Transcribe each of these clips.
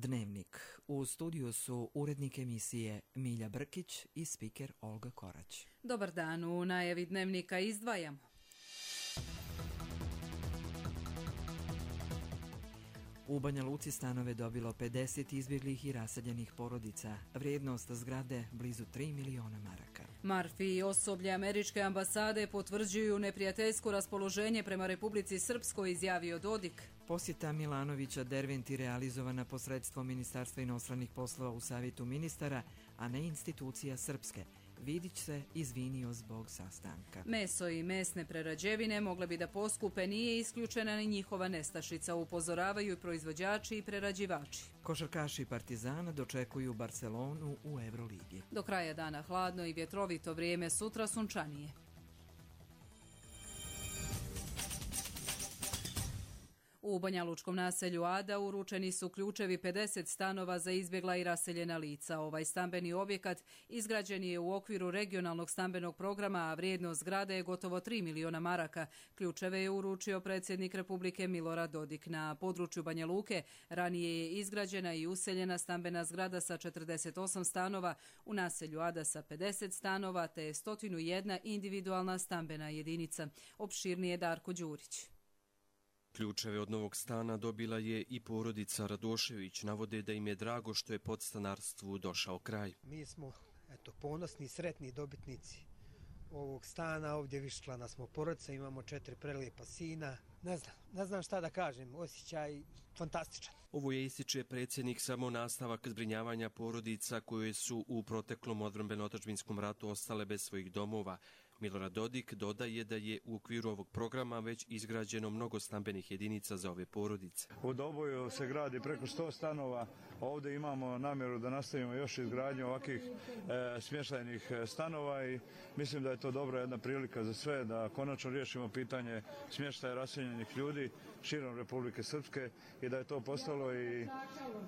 Dnevnik. U studiju su urednik emisije Milja Brkić i spiker Olga Korać. Dobar dan, u najavi Dnevnika izdvajamo. U Banja Luci stanove dobilo 50 izbjeglih i raseljenih porodica. Vrijednost zgrade blizu 3 miliona maraka. Marfi i osoblje američke ambasade potvrđuju neprijateljsko raspoloženje prema Republici Srpskoj, izjavio Dodik. Posjeta Milanovića Derventi realizovana posredstvom Ministarstva inostranih poslova u Savjetu ministara, a ne institucija Srpske. Vidić se izvinio zbog sastanka. Meso i mesne prerađevine mogle bi da poskupe, nije isključena ni njihova nestašica, upozoravaju proizvođači i prerađivači. Košarkaši Partizana dočekuju Barcelonu u Euroligi. Do kraja dana hladno i vjetrovito vrijeme, sutra sunčanije. U banjalučkom naselju Ada uručeni su ključevi 50 stanova za izbjegla i raseljena lica. Ovaj stambeni objekat izgrađen je u okviru regionalnog stambenog programa, a vrijednost zgrade je gotovo 3 miliona maraka. Ključeve je uručio predsjednik Republike Milorad Dodik. Na području Banja Luke ranije je izgrađena i useljena stambena zgrada sa 48 stanova, u naselju Ada sa 50 stanova te 101 individualna stambena jedinica. Opširnije Darko Đurić. Ključeve od novog stana dobila je i porodica Radošević. Navode da im je drago što je podstanarstvu došao kraj. Mi smo ponosni i sretni dobitnici ovog stana. Ovdje viščlana smo porodica, imamo 4 prelijepa sina. Ne znam šta da kažem, osjećaj fantastičan. Ovo je, ističe predsjednik, samo nastavak zbrinjavanja porodica koje su u proteklom odbrambeno-otadžbinskom ratu ostale bez svojih domova. Milorad Dodik dodaje da je u okviru ovog programa već izgrađeno mnogo stambenih jedinica za ove porodice. U Doboju se gradi preko 100 stanova, ovdje imamo namjeru da nastavimo još izgradnju ovakvih smještajnih stanova i mislim da je to dobra jedna prilika za sve da konačno riješimo pitanje smještaja raseljenih ljudi širom Republike Srpske i da je to postalo i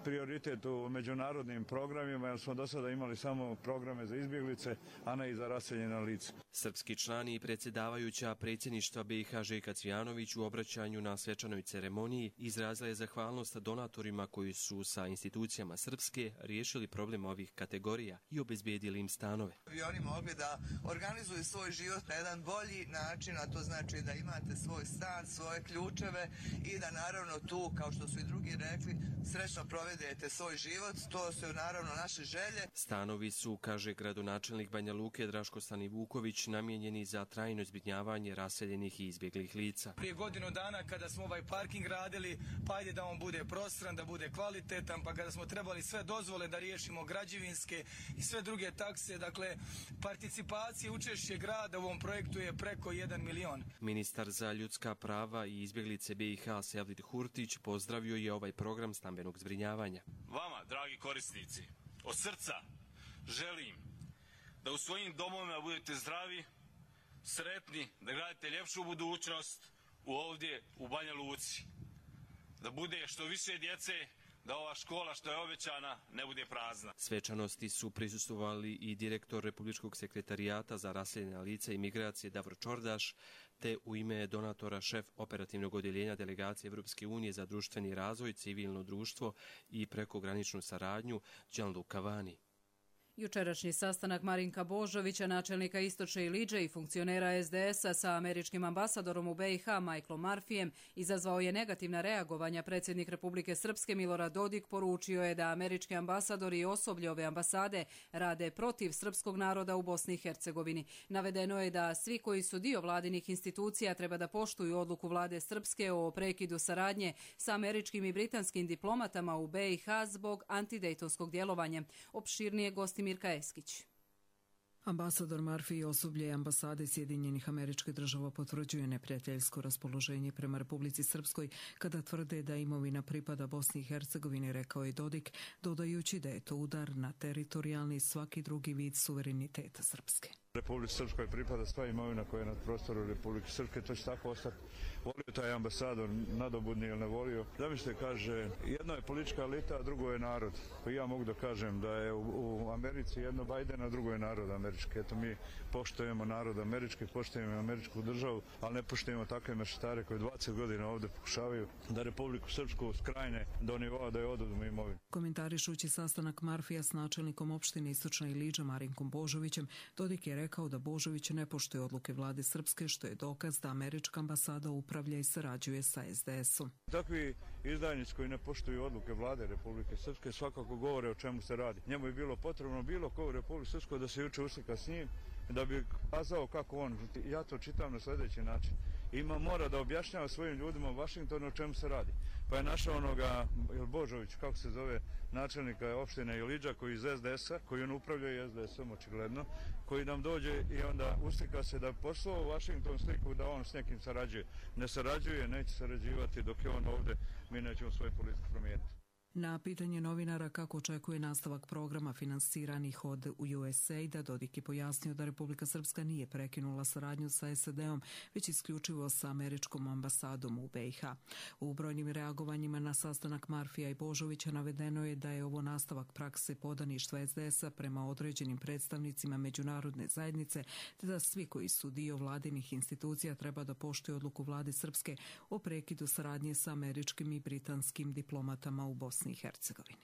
prioritet u međunarodnim programima, jer smo do sada imali samo programe za izbjeglice, a ne i za raseljena lica. Srpski člani i predsjedavajuća predsjedništva BiH Željka Cvijanović u obraćanju na svečanoj ceremoniji izrazila je zahvalnost donatorima koji su sa institucijama Srpske riješili problem ovih kategorija i obezbijedili im stanove. I oni mogli da organizuju svoj život na jedan bolji način, a to znači da imate svoj stan, svoje ključeve i da naravno tu, kao što su i drugi rekli, srećno provedete svoj život. To su naravno naše želje. Stanovi su, kaže gradonačelnik Banja Luke Draško Stanivuković, namijenjeni za trajno zbrinjavanje raseljenih i izbjeglih lica. Prije godinu dana kada smo ovaj parking radili, pa ajde da on bude prostran, da bude kvalitetan, pa kada smo trebali sve dozvole da riješimo građevinske i sve druge takse, dakle participacije, učešće grada u ovom projektu je preko 1 milion. Ministar za ljudska prava i izbjeglice BiH Sevdin Hurtić pozdravio je ovaj program stambenog zbrinjavanja. Vama, dragi korisnici, od srca želim da u svojim domovima budete zdravi, sretni, da gradite ljepšu budućnost ovdje u Banja Luci. Da bude što više djece, da ova škola što je obećana ne bude prazna. Svečanosti su prisustvovali i direktor Republičkog sekretarijata za raseljena lica i migracije Davor Čordaš, te u ime donatora šef operativnog odjeljenja delegacije Evropske unije za društveni razvoj, civilno društvo i prekograničnu saradnju Gianluca Vani. Jučerašnji sastanak Marinka Božovića, načelnika Istočne Iliđe i funkcionera SDS-a sa američkim ambasadorom u BiH Michaelom Marfijem izazvao je negativna reagovanja. Predsjednik Republike Srpske Milorad Dodik poručio je da američki ambasadori i osoblje ove ambasade rade protiv srpskog naroda u Bosni i Hercegovini. Navedeno je da svi koji su dio vladinih institucija treba da poštuju odluku vlade Srpske o prekidu saradnje sa američkim i britanskim diplomatama u BiH zbog antidejtonskog djelovanja. Opširnije gosti Mirka Eskić. Ambasador Marfi i osoblje ambasade Sjedinjenih Američkih Država potvrđuje neprijateljsko raspoloženje prema Republici Srpskoj kada tvrde da imovina pripada Bosni i Hercegovini, rekao je Dodik, dodajući da je to udar na teritorijalni i svaki drugi vid suvereniteta Srpske. Republici Srpskoj pripada sva imovina koja je na prostoru Republike Srpske, to će tako ostati. Volio taj ambasador nadobudni ili ne volio. Zamislite, kaže, jedno je politička elita, a drugo je narod. Pa ja mogu da kažem da je u Americi jedno Biden, a drugo je narod američki. Eto, mi poštujemo narod američki, poštujemo američku državu, ali ne poštujemo takve mešetare koji 20 godina ovdje pokušavaju da Republiku Srpsku skrajne do nivoa da je oduzmu imovinu. Komentarišući sastanak Marfija s načelnikom opštine Istočna Iliđa Marinkom Božovićem, Dodik je rekao da Božović ne poštuje odluke vlade Srpske, što je dokaz da američka ambasada upravlja i sarađuje sa SDS-om. Takvi izdajnici koji ne poštuju odluke vlade Republike Srpske svakako govore o čemu se radi. Njemu je bilo potrebno bilo ko u Republike Srpskoj da se juče uslika s njim, da bi kazao kako on, ja to čitam na sljedeći način, mora da objašnjava svojim ljudima u Vašingtonu o čemu se radi. Pa je našao onoga Božović, kako se zove, načelnika opštine Iliđa, koji iz SDS-a, koji on upravlja i SDS-om očigledno, koji nam dođe i onda uslika se da poslao u Vašington sliku da on s nekim sarađuje. Ne sarađuje, neće sarađivati dok je on ovdje, mi nećemo svoju politiku promijeniti. Na pitanje novinara kako očekuje nastavak programa finansiranih od USAID-a, Dodik je pojasnio da Republika Srpska nije prekinula saradnju sa SAD-om, već isključivo sa američkom ambasadom u BiH. U brojnim reagovanjima na sastanak Marfija i Božovića navedeno je da je ovo nastavak prakse podaništva SDS-a prema određenim predstavnicima međunarodne zajednice, te da svi koji su dio vladinih institucija treba da poštuju odluku vlade Srpske o prekidu saradnje sa američkim i britanskim diplomatama u Bosni i Hercegovini.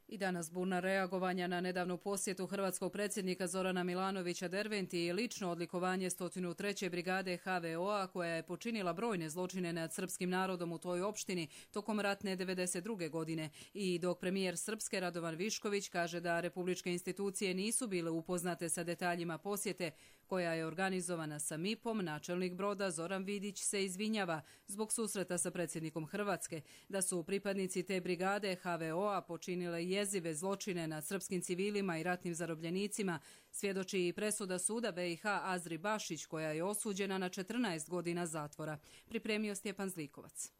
I danas burna reagovanja na nedavnu posjetu hrvatskog predsjednika Zorana Milanovića Derventi i lično odlikovanje 103. brigade HVO-a koja je počinila brojne zločine nad srpskim narodom u toj opštini tokom ratne 92. godine. I dok premijer Srpske Radovan Višković kaže da republičke institucije nisu bile upoznate sa detaljima posjete koja je organizovana sa MIP-om, načelnik broda Zoran Vidić se izvinjava zbog susreta sa predsjednikom Hrvatske, da su pripadnici te brigade HVO-a počinile jezive zločine nad srpskim civilima i ratnim zarobljenicima, svjedoči i presuda suda BiH Azri Bašić koja je osuđena na 14 godina zatvora. Pripremio Stjepan Zlikovac.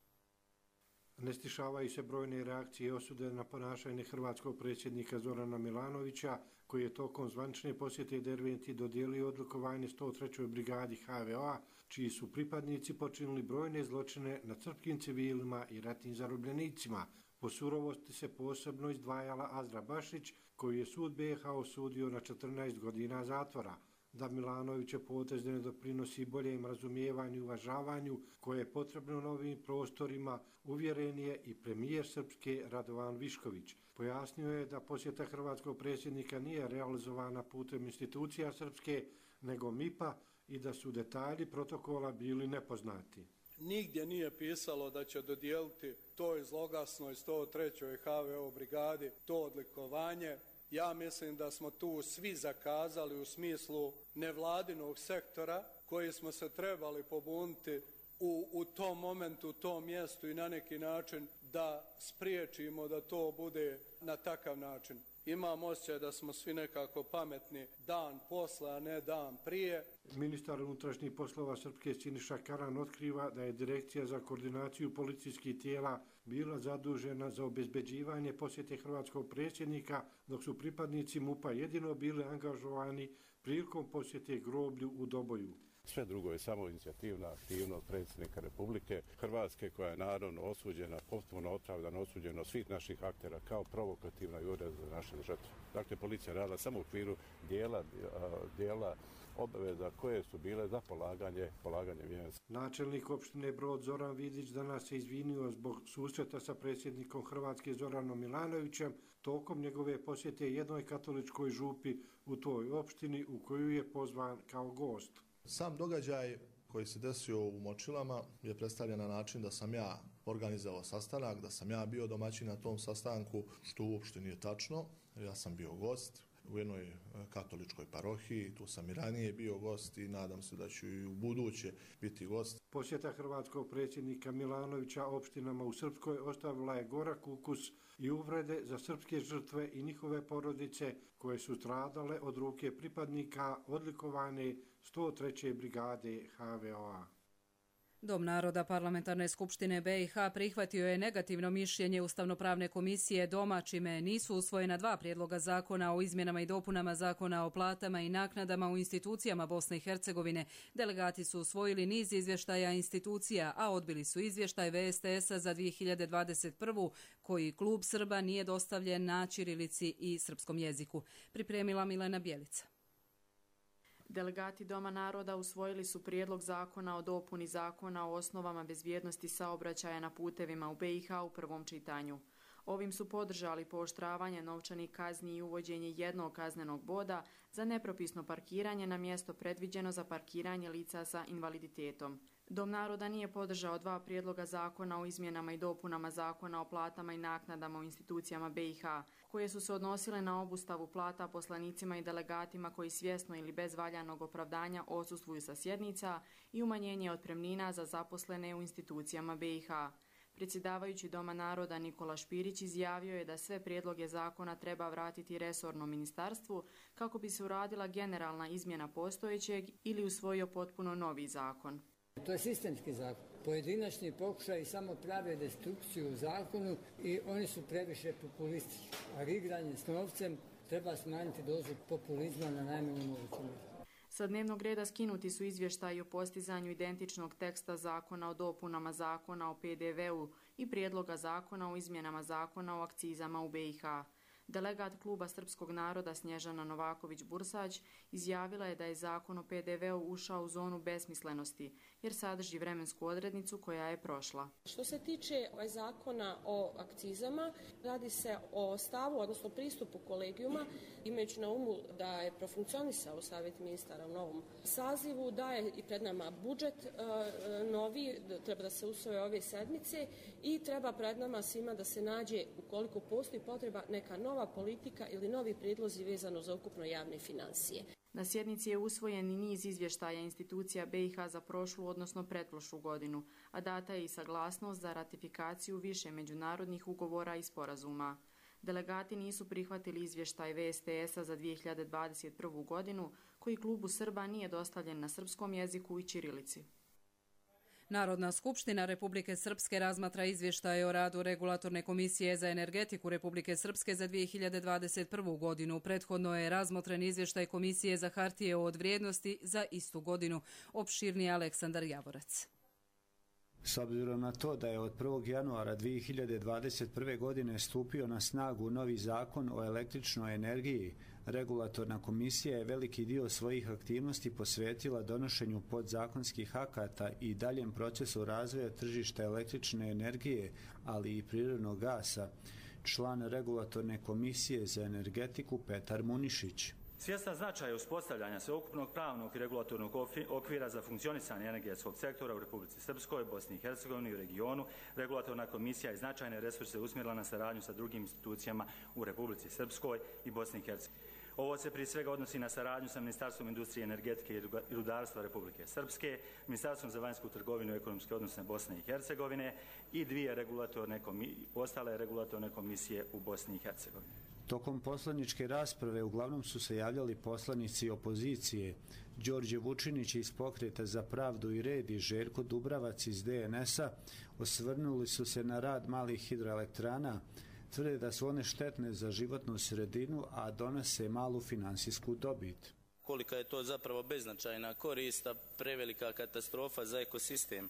Ne stišavaju se brojne reakcije i osude na ponašanje hrvatskog predsjednika Zorana Milanovića, koji je tokom zvanične posjete Derventi dodijelio odlikovanje 103. brigadi HVO-a, čiji su pripadnici počinili brojne zločine nad srpskim civilima i ratnim zarobljenicima. Po surovosti se posebno izdvajala Azra Bašić, koji je sud BiH osudio na 14 godina zatvora. Da Milanoviće potez ne doprinosi boljem razumijevanju i uvažavanju koje je potrebno novim prostorima, uvjeren je i premijer Srpske Radovan Višković. Pojasnio je da posjeta hrvatskog predsjednika nije realizovana putem institucija Srpske, nego MIP-a i da su detalji protokola bili nepoznati. Nigdje nije pisalo da će dodijeliti toj zloglasnoj 103. HVO brigadi to odlikovanje. Ja mislim da smo tu svi zakazali u smislu nevladinog sektora koji smo se trebali pobuniti u tom momentu, u tom mjestu i na neki način da spriječimo da to bude na takav način. Imam osjećaj da smo svi nekako pametni dan posle, a ne dan prije. Ministar unutrašnjih poslova Srpske Siniša Karan otkriva da je Direkcija za koordinaciju policijskih tijela bila zadužena za obezbeđivanje posjete hrvatskog predsjednika, dok su pripadnici MUP-a jedino bili angažovani prilikom posjete groblju u Doboju. Sve drugo je samo inicijativna aktivnost predsjednika Republike Hrvatske koja je naravno osuđena, potpuno opravdano osuđena od svih naših aktera kao provokativna i ured za naše žrtve. Dakle, policija radila samo u okviru dijela obaveza koje su bile za polaganje vijenca. Načelnik opštine Brod Zoran Vidić danas se izvinio zbog susreta sa predsjednikom Hrvatske Zoranom Milanovićem tokom njegove posjete jednoj katoličkoj župi u toj opštini u koju je pozvan kao gost. Sam događaj koji se desio u Močilama je predstavljen na način da sam ja organizovao sastanak, da sam ja bio domaćin na tom sastanku, što uopšte nije tačno. Ja sam bio gost u jednoj katoličkoj parohiji, tu sam i ranije bio gost i nadam se da ću i u buduće biti gost. Posjeta hrvatskog predsjednika Milanovića opštinama u Srpskoj ostavila je gorak ukus i uvrede za srpske žrtve i njihove porodice koje su stradale od ruke pripadnika odlikovane 103. brigade HVO-a. Dom naroda Parlamentarne skupštine BiH prihvatio je negativno mišljenje Ustavnopravne komisije Doma, čime nisu usvojena 2 prijedloga zakona o izmjenama i dopunama zakona o platama i naknadama u institucijama Bosne i Hercegovine. Delegati su usvojili niz izvještaja institucija, a odbili su izvještaj VSTS-a za 2021. koji klub Srba nije dostavljen na ćirilici i srpskom jeziku. Pripremila Milena Bjelica. Delegati Doma naroda usvojili su prijedlog zakona o dopuni zakona o osnovama bezbjednosti saobraćaja na putevima u BiH u prvom čitanju. Ovim su podržali pooštravanje novčanih kazni i uvođenje jednog kaznenog boda za nepropisno parkiranje na mjesto predviđeno za parkiranje lica sa invaliditetom. Dom naroda nije podržao 2 prijedloga zakona o izmjenama i dopunama zakona o platama i naknadama u institucijama BiH, koje su se odnosile na obustavu plata poslanicima i delegatima koji svjesno ili bez valjanog opravdanja odsustvuju sa sjednica i umanjenje otpremnina za zaposlene u institucijama BiH. Predsjedavajući Doma naroda Nikola Špirić izjavio je da sve prijedloge zakona treba vratiti resornom ministarstvu kako bi se uradila generalna izmjena postojećeg ili usvojio potpuno novi zakon. To je sistemski zakon. Pojedinačni pokušaj samo prave destrukciju u zakonu i oni su previše populistički. A igranje s novcem treba smanjiti dozu populizma na najmanju moguću mjeru. Sa dnevnog reda skinuti su izvještaji o postizanju identičnog teksta zakona o dopunama zakona o PDV-u i prijedloga zakona o izmjenama zakona o akcizama u BiH. Delegat kluba Srpskog naroda Snježana Novaković-Bursać izjavila je da je zakon o PDV-u ušao u zonu besmislenosti jer sadrži vremensku odrednicu koja je prošla. Što se tiče zakona o akcizama, radi se o stavu, odnosno pristupu kolegijuma, imajući na umu da je profunkcionisao Savjet ministara u novom sazivu, da je i pred nama budžet novi, treba da se usvoje ove sedmice i treba pred nama svima da se nađe, ukoliko postoji potreba, neka nova politika ili novi prijedlozi vezano za ukupno javne financije. Na sjednici je usvojen i niz izvještaja institucija BiH za prošlu, odnosno pretprošlu godinu, a data je i saglasnost za ratifikaciju više međunarodnih ugovora i sporazuma. Delegati nisu prihvatili izvještaj VSTS-a za 2021. godinu, koji klubu Srba nije dostavljen na srpskom jeziku i ćirilici. Narodna skupština Republike Srpske razmatra izvještaje o radu Regulatorne komisije za energetiku Republike Srpske za 2021. godinu. Prethodno je razmotren izvještaj Komisije za hartije od vrijednosti za istu godinu. Opširni Aleksandar Javorac. S obzirom na to da je od 1. januara 2021. godine stupio na snagu novi zakon o električnoj energiji, Regulatorna komisija je veliki dio svojih aktivnosti posvetila donošenju podzakonskih akata i daljem procesu razvoja tržišta električne energije, ali i prirodnog gasa. Član Regulatorne komisije za energetiku Petar Munišić. Svjestan značaja uspostavljanja sveukupnog pravnog i regulatornog okvira za funkcionisanje energetskog sektora u Republici Srpskoj, Bosni i Hercegovini i u regionu, Regulatorna komisija je značajne resurse usmjerila na saradnju sa drugim institucijama u Republici Srpskoj i Bosni i Hercegovini. Ovo se prije svega odnosi na saradnju sa Ministarstvom industrije, energetike i rudarstva Republike Srpske, Ministarstvom za vanjsku trgovinu i ekonomske odnose Bosne i Hercegovine i 2 ostale regulatorne komisije u Bosni i Hercegovini. Tokom poslaničke rasprave uglavnom su se javljali poslanici opozicije. Đorđe Vučinić iz Pokreta za pravdu i red i Željko Dubravac iz DNS-a osvrnuli su se na rad malih hidroelektrana. Tvrde da su one štetne za životnu sredinu, a donose malu finansijsku dobit. Kolika je to zapravo beznačajna korist, a prevelika katastrofa za ekosistem.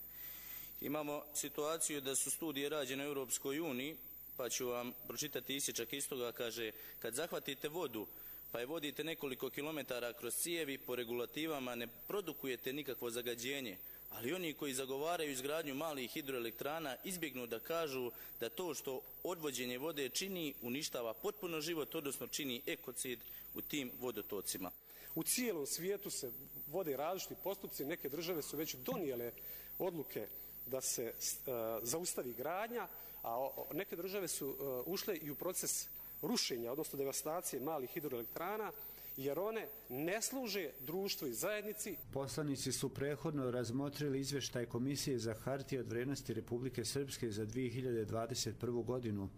Imamo situaciju da su studije rađene u Europskoj uniji, pa ću vam pročitati isječak iz toga, kaže: kad zahvatite vodu pa je vodite nekoliko kilometara kroz cijevi, po regulativama ne produkujete nikakvo zagađenje, ali oni koji zagovaraju izgradnju malih hidroelektrana izbjegnu da kažu da to što odvođenje vode čini uništava potpuno život, odnosno čini ekocid u tim vodotocima. U cijelom svijetu se vode različiti postupci, neke države su već donijele odluke da se zaustavi gradnja, a neke države su ušle i u proces rušenja, odnosno devastacije malih hidroelektrana jer one ne služe društvu i zajednici. Poslanici su prethodno razmotrili izvještaj Komisije za hartije od vrijednosti Republike Srpske za 2021. godinu.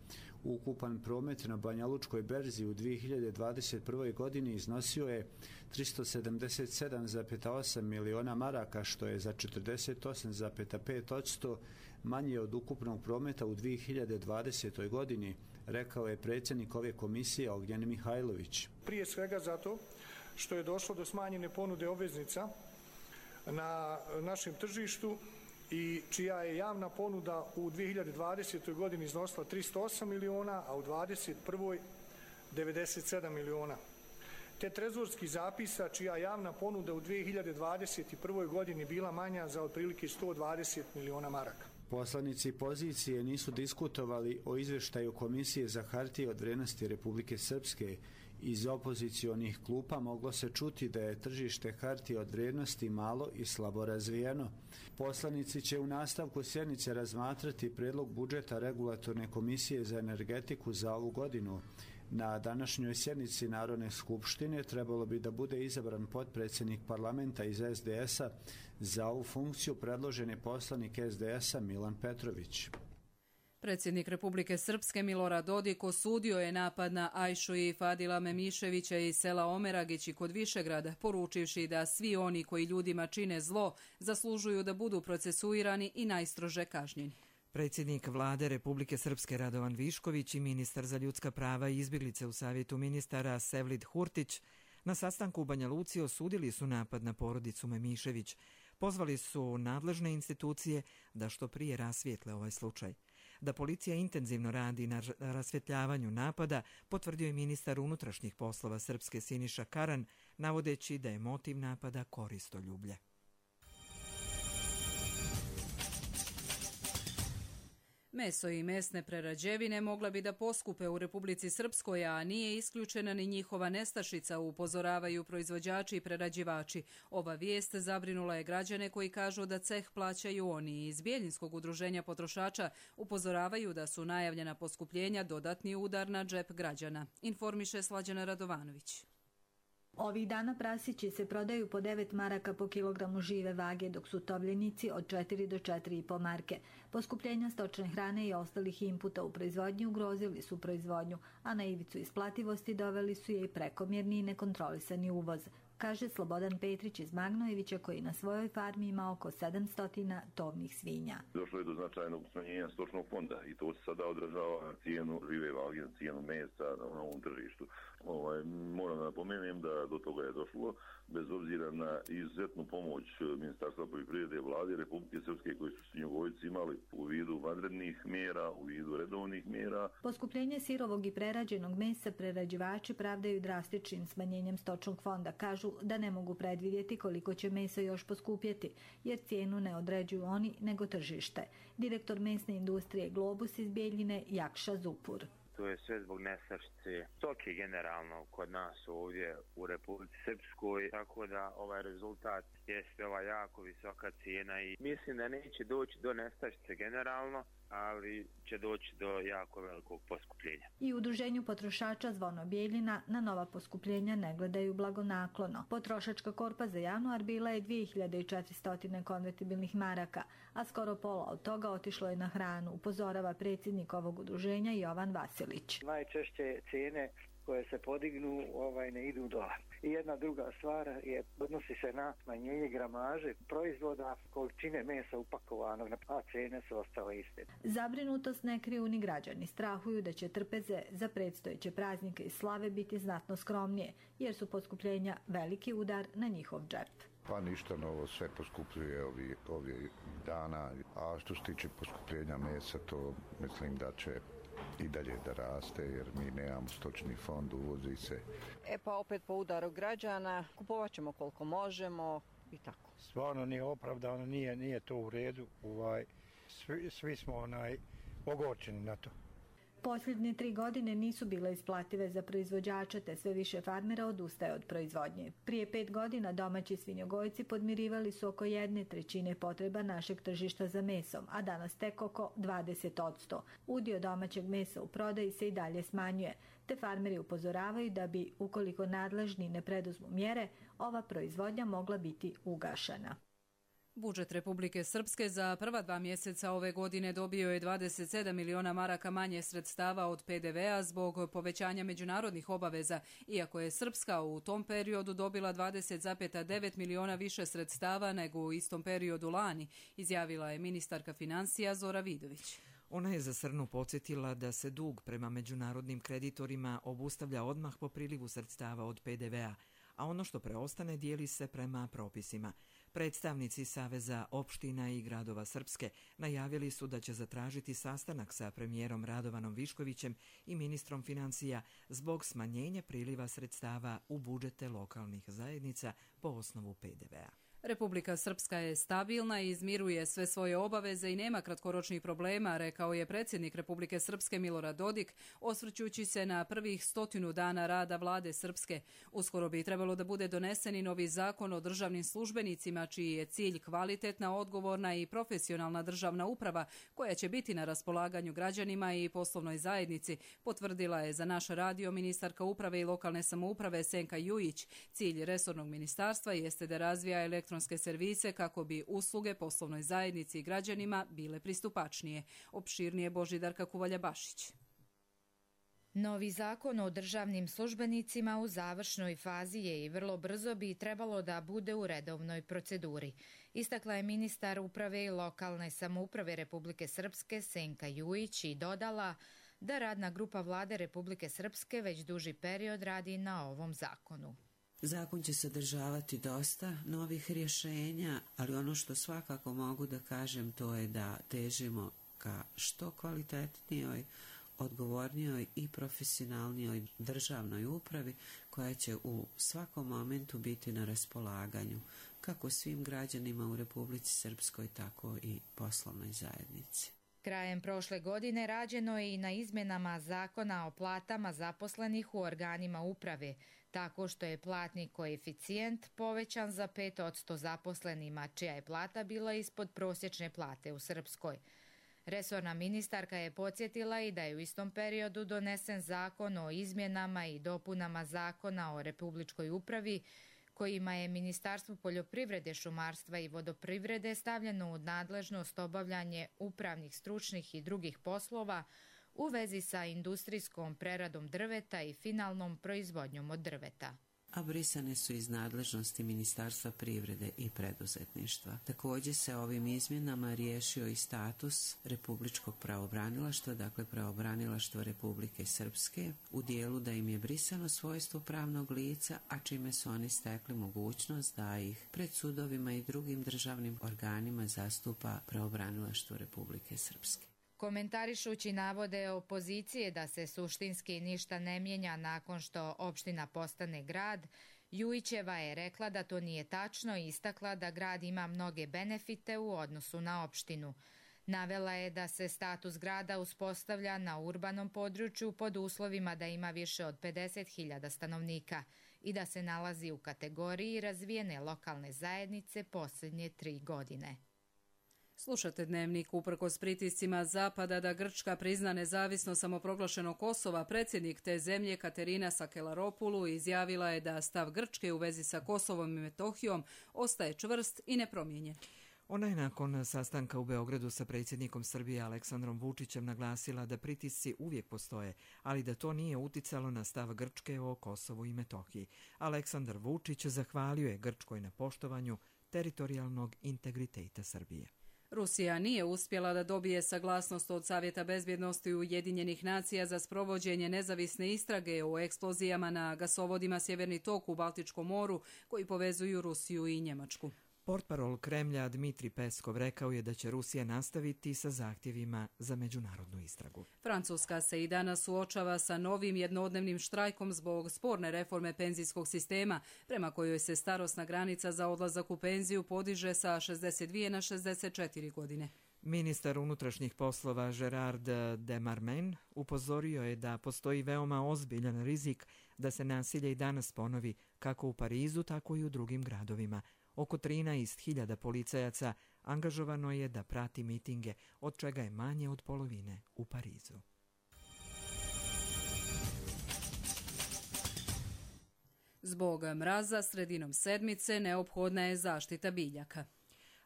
Ukupan promet na Banja Lučkoj berzi u 2021. godini iznosio je 377,8 miliona maraka, što je za 48,5% manje od ukupnog prometa u 2020. godini, rekao je predsjednik ove komisije Ognjen Mihajlović. Prije svega zato što je došlo do smanjene ponude obveznica na našem tržištu i čija je javna ponuda u 2020. godini iznosila 308 miliona, a u 2021. 97 miliona. Te trezorskih zapisa čija javna ponuda u 2021. godini bila manja za otprilike 120 miliona maraka. Poslanici pozicije nisu diskutovali o izvještaju Komisije za hartije od vrijednosti Republike Srpske. Iz opozicionih klupa moglo se čuti da je tržište hartije od vrijednosti malo i slabo razvijeno. Poslanici će u nastavku sjednice razmatrati predlog budžeta Regulatorne komisije za energetiku za ovu godinu. Na današnjoj sjednici Narodne skupštine trebalo bi da bude izabran potpredsjednik parlamenta iz SDS-a. Za ovu funkciju predložen je poslanik SDS-a Milan Petrović. Predsjednik Republike Srpske Milorad Dodik osudio je napad na Ajšu i Fadila Memiševića iz sela Omeragići kod Višegrada, poručivši da svi oni koji ljudima čine zlo zaslužuju da budu procesuirani i najstrože kažnjeni. Predsjednik vlade Republike Srpske Radovan Višković i ministar za ljudska prava i izbjeglice u Savjetu ministara Sevlid Hurtić na sastanku u Banja Luci osudili su napad na porodicu Memišević. Pozvali su nadležne institucije da što prije rasvijetle ovaj slučaj. Da policija intenzivno radi na rasvjetljavanju napada, potvrdio je ministar unutrašnjih poslova Srpske Siniša Karan, navodeći da je motiv napada koristoljublje. Meso i mesne prerađevine mogla bi da poskupe u Republici Srpskoj, a nije isključena ni njihova nestašica, upozoravaju proizvođači i prerađivači. Ova vijest zabrinula je građane koji kažu da ceh plaćaju oni. Iz Bijeljinskog udruženja potrošača upozoravaju da su najavljena poskupljenja dodatni udar na džep građana. Informiše Slađana Radovanović. Ovih dana prasići se prodaju po 9 maraka po kilogramu žive vage, dok su tovljenici od 4 do 4,5 marke. Poskupljenja stočne hrane i ostalih inputa u proizvodnji ugrozili su proizvodnju, a na ivicu isplativosti doveli su je i prekomjerni i nekontrolisani uvoz, kaže Slobodan Petrić iz Magnojevića, koji na svojoj farmi ima oko 700 tovnih svinja. Došlo je do značajnog smanjenja stočnog fonda i to se sada odražava na cijenu žive vage, na cijenu mesa na ovom tržištu. Moram da napomenem da do toga je došlo, bez obzira na izuzetnu pomoć Ministarstva poljoprivrede i vlade Republike Srpske, koji su svinjogojci imali u vidu vanrednih mjera, u vidu redovnih mjera. Poskupljenje sirovog i prerađenog mesa prerađivači pravdaju drastičnim smanjenjem stočnog fonda. Kažu da ne mogu predvidjeti koliko će meso još poskupjeti, jer cijenu ne određuju oni nego tržište. Direktor mesne industrije Globus iz Bijeljine Jakša Zupur. To je sve zbog nestašice stoke generalno kod nas ovdje u Republici Srpskoj, tako da ovaj rezultat jeste ova jako visoka cijena i mislim da neće doći do nestašice generalno, ali će doći do jako velikog poskupljenja. I u udruženju potrošača Zvono Bijeljina na nova poskupljenja ne gledaju blagonaklono. Potrošačka korpa za januar bila je 2400 konvertibilnih maraka, a skoro pola od toga otišlo je na hranu, upozorava predsjednik ovog udruženja Jovan Vasilić. Najčešće cijene koje se podignu ne idu dole. I jedna druga stvar odnosi se na smanjenje gramaže proizvoda, količine mesa upakovanog, a cijene su ostale iste. Zabrinutost ne kriju ni građani. Strahuju da će trpeze za predstojeće praznike i slave biti znatno skromnije, jer su poskupljenja veliki udar na njihov džep. Pa ništa novo, sve poskupljuje ovih dana, a što se tiče poskupljenja mesa, to mislim da će i dalje da raste, jer mi nemamo stočni fond, uvozi se. Pa opet po udaru građana, kupovat ćemo koliko možemo i tako. Stvarno nije opravdano, nije to u redu, svi smo ogorčeni na to. Posljednje 3 godine nisu bile isplative za proizvođača, te sve više farmera odustaje od proizvodnje. Prije 5 godina domaći svinjogojci podmirivali su oko 1/3 potreba našeg tržišta za mesom, a danas tek oko 20%. Udio domaćeg mesa u prodaji se i dalje smanjuje, te farmeri upozoravaju da bi, ukoliko nadležni ne preduzmu mjere, ova proizvodnja mogla biti ugašena. Budžet Republike Srpske za prva 2 mjeseca ove godine dobio je 27 miliona maraka manje sredstava od PDV-a zbog povećanja međunarodnih obaveza, iako je Srpska u tom periodu dobila 20,9 miliona više sredstava nego u istom periodu lani, izjavila je ministarka financija Zora Vidović. Ona je za Srnu podsjetila da se dug prema međunarodnim kreditorima obustavlja odmah po prilivu sredstava od PDV-a, a ono što preostane dijeli se prema propisima. Predstavnici Saveza opština i gradova Srpske najavili su da će zatražiti sastanak sa premijerom Radovanom Viškovićem i ministrom financija zbog smanjenja priliva sredstava u budžete lokalnih zajednica po osnovu PDV-a. Republika Srpska je stabilna i izmiruje sve svoje obaveze i nema kratkoročnih problema, rekao je predsjednik Republike Srpske Milorad Dodik, osvrćući se na prvih 100 dana rada vlade Srpske. Uskoro bi trebalo da bude donesen i novi zakon o državnim službenicima, čiji je cilj kvalitetna, odgovorna i profesionalna državna uprava, koja će biti na raspolaganju građanima i poslovnoj zajednici, potvrdila je za naš radio ministarka uprave i lokalne samouprave Senka Jujić. Cilj resornog ministarstva jeste da razvija elektronske servise kako bi usluge poslovnoj zajednici i građanima bile pristupačnije. Opširnije Božidarka Kuvalja-Bašić. Novi zakon o državnim službenicima u završnoj fazi je i vrlo brzo bi trebalo da bude u redovnoj proceduri. Istakla je ministar uprave i lokalne samouprave Republike Srpske Senka Jujić i dodala da radna grupa vlade Republike Srpske već duži period radi na ovom zakonu. Zakon će sadržavati dosta novih rješenja, ali ono što svakako mogu da kažem to je da težimo ka što kvalitetnijoj, odgovornijoj i profesionalnijoj državnoj upravi koja će u svakom momentu biti na raspolaganju kako svim građanima u Republici Srpskoj, tako i poslovnoj zajednici. Krajem prošle godine rađeno je i na izmjenama zakona o platama zaposlenih u organima uprave, tako što je platni koeficijent povećan za 5% zaposlenima, čija je plata bila ispod prosječne plate u Srpskoj. Resorna ministarka je podsjetila i da je u istom periodu donesen zakon o izmjenama i dopunama zakona o republičkoj upravi, kojima je Ministarstvo poljoprivrede, šumarstva i vodoprivrede stavljeno u nadležnost obavljanje upravnih, stručnih i drugih poslova u vezi sa industrijskom preradom drveta i finalnom proizvodnjom od drveta. A brisane su iz nadležnosti Ministarstva privrede i preduzetništva. Također se ovim izmjenama riješio i status Republičkog pravobranilaštva, dakle pravobranilaštva Republike Srpske, u dijelu da im je brisano svojstvo pravnog lica, a čime su oni stekli mogućnost da ih pred sudovima i drugim državnim organima zastupa pravobranilaštvo Republike Srpske. Komentarišući navode opozicije da se suštinski ništa ne mijenja nakon što opština postane grad, Jujićeva je rekla da to nije tačno i istakla da grad ima mnoge benefite u odnosu na opštinu. Navela je da se status grada uspostavlja na urbanom području pod uslovima da ima više od 50.000 stanovnika i da se nalazi u kategoriji razvijene lokalne zajednice posljednje 3 godine. Slušate Dnevnik. Uprkos pritiscima Zapada da Grčka prizna nezavisnost samoproglašenog Kosova, predsjednik te zemlje Katerina Sakelaropulu izjavila je da stav Grčke u vezi sa Kosovom i Metohijom ostaje čvrst i nepromijenjen. Ona je nakon sastanka u Beogradu sa predsjednikom Srbije Aleksandrom Vučićem naglasila da pritisci uvijek postoje, ali da to nije uticalo na stav Grčke o Kosovu i Metohiji. Aleksandar Vučić zahvalio je Grčkoj na poštovanju teritorijalnog integriteta Srbije. Rusija nije uspjela da dobije saglasnost od Savjeta bezbjednosti Ujedinjenih nacija za sprovođenje nezavisne istrage o eksplozijama na gasovodima Sjeverni tok u Baltičkom moru koji povezuju Rusiju i Njemačku. Portparol Kremlja Dmitri Peskov rekao je da će Rusija nastaviti sa zahtjevima za međunarodnu istragu. Francuska se i danas suočava sa novim jednodnevnim štrajkom zbog sporne reforme penzijskog sistema, prema kojoj se starosna granica za odlazak u penziju podiže sa 62 na 64 godine. Ministar unutrašnjih poslova Gerard Demarmen upozorio je da postoji veoma ozbiljan rizik da se nasilje i danas ponovi kako u Parizu, tako i u drugim gradovima. Oko 13.000 policajaca angažovano je da prati mitinge, od čega je manje od polovine u Parizu. Zbog mraza sredinom sedmice neophodna je zaštita biljaka.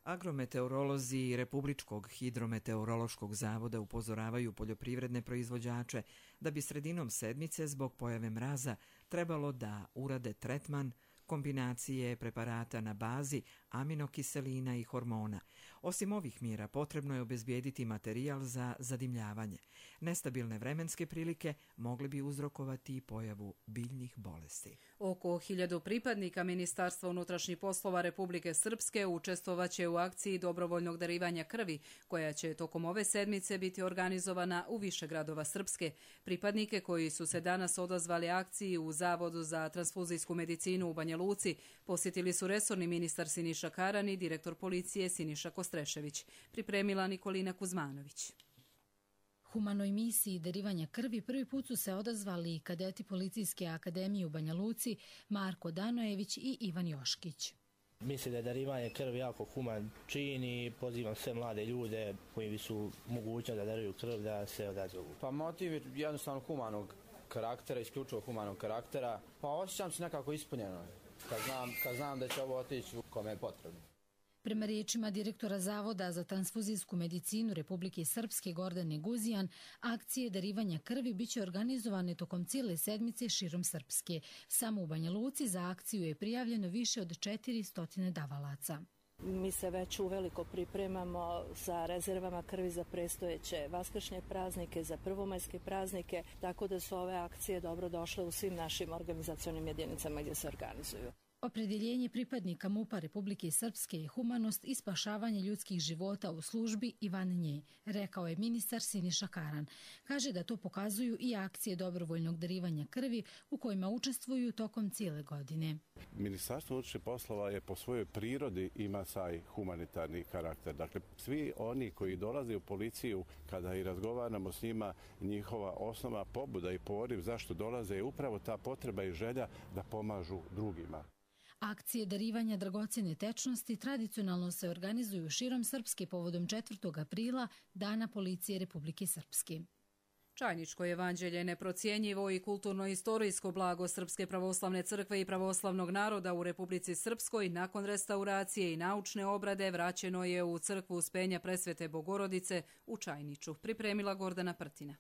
Agrometeorolozi Republičkog hidrometeorološkog zavoda upozoravaju poljoprivredne proizvođače da bi sredinom sedmice zbog pojave mraza trebalo da urade tretman kombinacije preparata na bazi aminokiselina i hormona. Osim ovih mjera potrebno je obezbijediti materijal za zadimljavanje. Nestabilne vremenske prilike mogli bi uzrokovati i pojavu biljnih bolesti. Oko 1000 pripadnika Ministarstva unutrašnjih poslova Republike Srpske učestvovaće u akciji dobrovoljnog darivanja krvi, koja će tokom ove sedmice biti organizovana u više gradova Srpske. Pripadnike koji su se danas odazvali akciji u Zavodu za transfuzijsku medicinu u Banja Luci posjetili su resorni ministar Siniša Karan i direktor policije Siniša Kostrešević. Pripremila Nikolina Kuzmanović. Humanoj misiji darivanja krvi prvi put su se odazvali kadeti Policijske akademije u Banja Luci Marko Danojević i Ivan Joškić. Mislim da je darivanje krvi jako human čin i pozivam sve mlade ljude koji su mogućni da daruju krv da se odazovu. Pa motiv je jednostavno humanog karaktera, isključivo humanog karaktera. Pa osjećam se nekako ispunjeno kad znam da će ovo otići kome je potrebno. Prema riječima direktora Zavoda za transfuzijsku medicinu Republike Srpske Gordane Guzijan, akcije darivanja krvi biće organizovane tokom cijele sedmice širom Srpske. Samo u Banja Luci za akciju je prijavljeno više od 400 davalaca. Mi se već uveliko pripremamo sa rezervama krvi za predstojeće vaskršnje praznike, za prvomajske praznike, tako da su ove akcije dobro došle u svim našim organizacionim jedinicama gdje se organizuju. Opredjeljenje pripadnika MUP-a Republike Srpske je humanost i spašavanje ljudskih života u službi i van nje, rekao je ministar Siniša Karan. Kaže da to pokazuju i akcije dobrovoljnog darivanja krvi u kojima učestvuju tokom cijele godine. Ministarstvo unutrašnjih poslova je po svojoj prirodi ima taj humanitarni karakter. Dakle, svi oni koji dolaze u policiju, kada i razgovaramo s njima, njihova osnova pobuda i poriv zašto dolaze je upravo ta potreba i želja da pomažu drugima. Akcije darivanja dragocjene tečnosti tradicionalno se organizuju širom Srpske povodom 4. aprila, Dana policije Republike Srpske. Čajničko evanđelje je neprocjenjivo i kulturno-istorijsko blago Srpske pravoslavne crkve i pravoslavnog naroda u Republici Srpskoj nakon restauracije i naučne obrade vraćeno je u crkvu Uspenja Presvete Bogorodice u Čajniču, pripremila Gordana Prtina.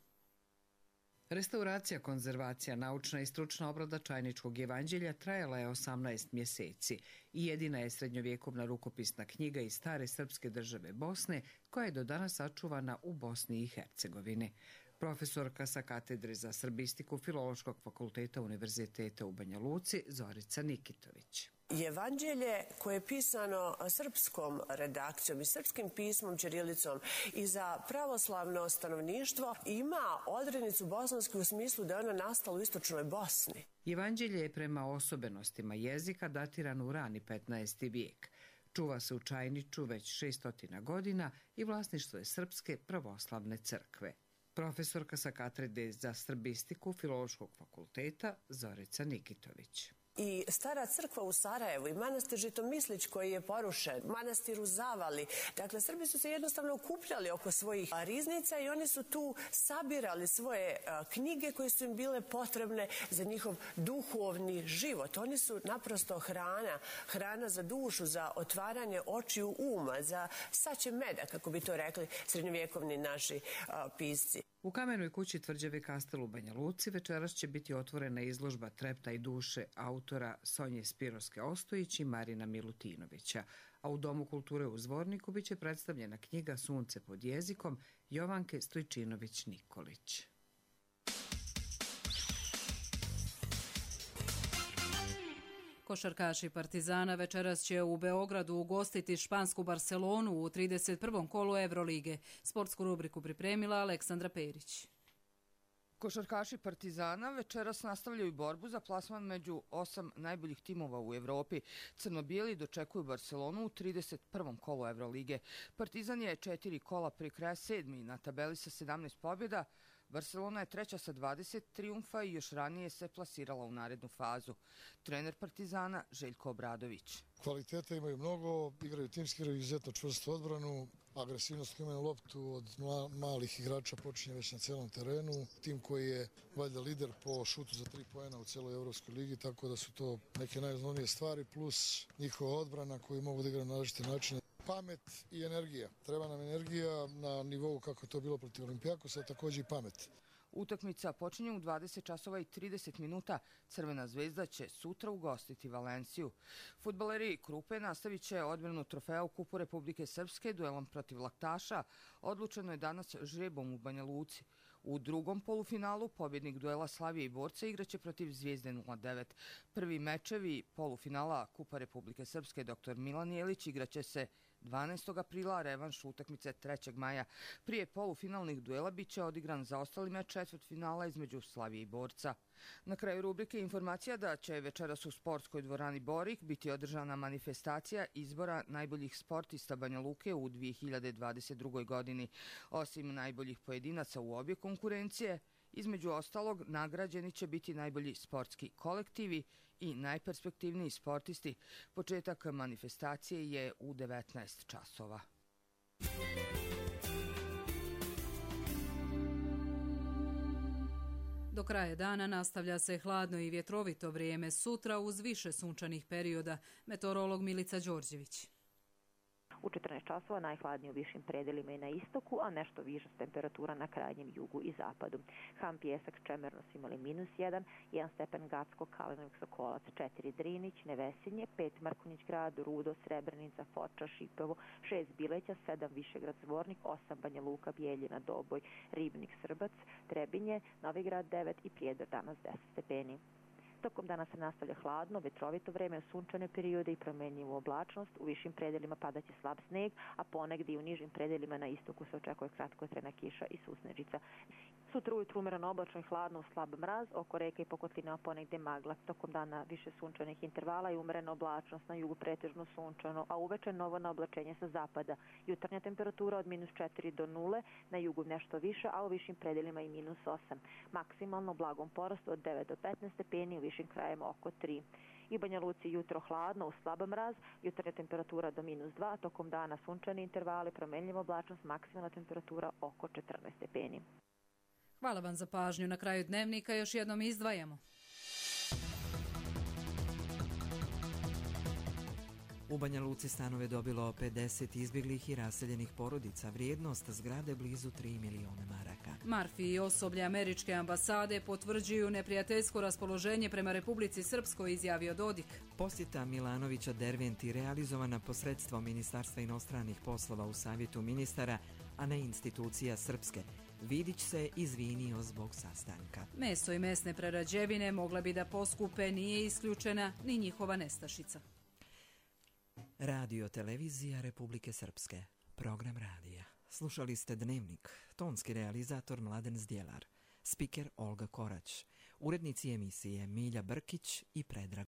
Restauracija, konzervacija, naučna i stručna obrada Čajničkog evanđelja trajala je 18 mjeseci i jedina je srednjovjekovna rukopisna knjiga iz stare srpske države Bosne koja je do danas sačuvana u Bosni i Hercegovini. Profesorka sa katedre za srbistiku Filološkog fakulteta Univerziteta u Banja Luci Zorica Nikitović. Evanđelje koje je pisano srpskom redakcijom i srpskim pismom ćirilicom i za pravoslavno stanovništvo ima odrednicu bosansku u smislu da je ona nastala u istočnoj Bosni. Evanđelje je prema osobenostima jezika datirano u rani 15. vijek. Čuva se u Čajniču već 600 godina i vlasništvo je Srpske pravoslavne crkve. Profesorka sa katedre za srbistiku Filološkog fakulteta Zorica Nikitović. I stara crkva u Sarajevu i manastir Žitomislić koji je porušen, manastir u Zavali. Dakle, Srbi su se jednostavno okupljali oko svojih riznica i oni su tu sabirali svoje knjige koje su im bile potrebne za njihov duhovni život. Oni su naprosto hrana za dušu, za otvaranje očiju uma, za saće meda, kako bi to rekli srednjovjekovni naši pisci. U Kamenoj kući tvrđave Kastel u Banja Luci večeras će biti otvorena izložba Trepta i duše autora Sonje Spirovske Ostojić i Marina Milutinovića, a u Domu kulture u Zvorniku biće predstavljena knjiga Sunce pod jezikom Jovanke Stojčinović-Nikolić. Košarkaši Partizana večeras će u Beogradu ugostiti špansku Barcelonu u 31. kolu Evrolige. Sportsku rubriku pripremila Aleksandra Perić. Košarkaši Partizana večeras nastavljaju borbu za plasman među 8 najboljih timova u Evropi. Crno-bijeli dočekuju Barcelonu u 31. kolu Evrolige. Partizan je 4 kola pri kraja 7. na tabeli sa 17 pobjeda. Barcelona je treća sa 20 trijumfa i još ranije se plasirala u narednu fazu. Trener Partizana Željko Obradović. Kvaliteta imaju mnogo, igraju timski, igraju izuzetno čvrstu odbranu. Agresivnost koja imaju loptu od malih igrača počinje već na celom terenu. Tim koji je valjda lider po šutu za 3 poena u celoj Evropskoj ligi, tako da su to neke najosnovnije stvari, plus njihova odbrana koju mogu da igraju na različite načine. Pamet i energija. Treba nam energija na nivou kako to bilo protiv Olimpijakosa, također i pamet. Utakmica počinje u 20 časova i 30 minuta. Crvena zvezda će sutra ugostiti Valenciju. Fudbaleri Krupe nastavit će odbranu trofeja u Kupu Republike Srpske duelom protiv Laktaša. Odlučeno je danas žrebom u Banja Luci. U drugom polufinalu pobjednik duela Slavije i Borca igraće protiv Zvijezde 09. Prvi mečevi polufinala Kupa Republike Srpske dr. Milan Jelić igraće se 12. aprila, revanš utakmice 3. maja. Prije polufinalnih duela bit će odigran zaostali meč četvrtfinala između Slavije i Borca. Na kraju rubrike informacija da će večeras u sportskoj dvorani Borik biti održana manifestacija izbora najboljih sportista Banja Luke u 2022. godini. Osim najboljih pojedinaca u obje konkurencije, između ostalog nagrađeni će biti najbolji sportski kolektivi i najperspektivniji sportisti. Početak manifestacije je u 19 časova. Do kraja dana nastavlja se hladno i vjetrovito vrijeme, sutra uz više sunčanih perioda. Meteorolog Milica Đorđević. U 14 časova najhladnije u višim predelima i na istoku, a nešto viša temperatura na krajnjem jugu i zapadu. Han, Pijesak, Čemerno su imali -1, 1 stepen Gacko, Kalinovik, Sokolac, 4 Drinić, Nevesinje, 5 Mrkonjić grad, Rudo, Srebrenica, Foča, Šipovo, 6 Bileća, 7 Višegrad, Zvornik, 8 Banja Luka, Bijeljina, Doboj, Ribnik, Srbac, Trebinje, Novigrad 9 i Prijedor danas 10 stepeni. Tokom dana se nastavlja hladno, vetrovito vreme, sunčane periode i promenljivu oblačnost. U višim predelima padaće slab sneg, a ponegdje i u nižim predelima na istoku se očekuje kratkotrajna kiša i susnežica. Sutra ujutru umereno oblačno i hladno uz slab mraz, oko reka i pokotlinama ponegdje magla. Tokom dana više sunčanih intervala i umerena oblačnost, na jugu pretežno sunčano, a uveče novo naoblačenje sa zapada. Jutarnja temperatura od -4 do 0, na jugu nešto više, a u višim predelima i -8. Maksimalno blagom porastu od 9 do 15 stepeni, u višim krajima oko 3. I Banja Luci jutro hladno uz slab mraz, jutarnja temperatura do -2, tokom dana sunčani intervali, promenljiva oblačnost, maksimalna temperatura oko 14 stepeni. Hvala vam za pažnju. Na kraju dnevnika još jednom izdvajamo. U Banja Luci stanove dobilo 50 izbjeglih i raseljenih porodica. Vrijednost zgrade blizu 3 miliona maraka. Marfi i osoblje američke ambasade potvrđuju neprijateljsko raspoloženje prema Republici Srpskoj, izjavio Dodik. Posjeta Milanovića Derventi realizovana posredstvom Ministarstva inostranih poslova u Savjetu ministara, a ne institucija Srpske. Vidić se izvinio zbog sastanka. Meso i mesne prerađevine mogle bi da poskupe, nije isključena ni njihova nestašica. Radio Televizija Republike Srpske. Program radija. Slušali ste Dnevnik. Tonski realizator Mladen Zdjelar. Spiker Olga Korać. Urednici emisije Milja Brkić i Predrag